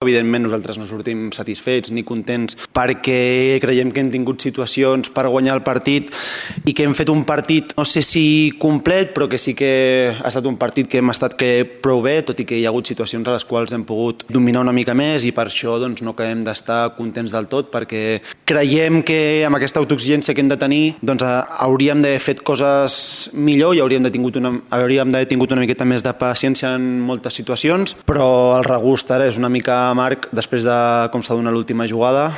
Evidentment nosaltres no sortim satisfets ni contents perquè creiem que hem tingut situacions per guanyar el partit i que hem fet un partit, no sé si complet, però que sí que ha estat un partit que hem estat prou bé, tot i que hi ha hagut situacions a les quals hem pogut dominar una mica més i per això no acabem d'estar contents del tot perquè creiem que amb aquesta autoexigència que hem de tenir hauríem d'haver fet coses millor i hauríem d'haver tingut una miqueta més de paciència en moltes situacions, però el regust ara és una mica amarg després de com s'ha donat l'última jugada.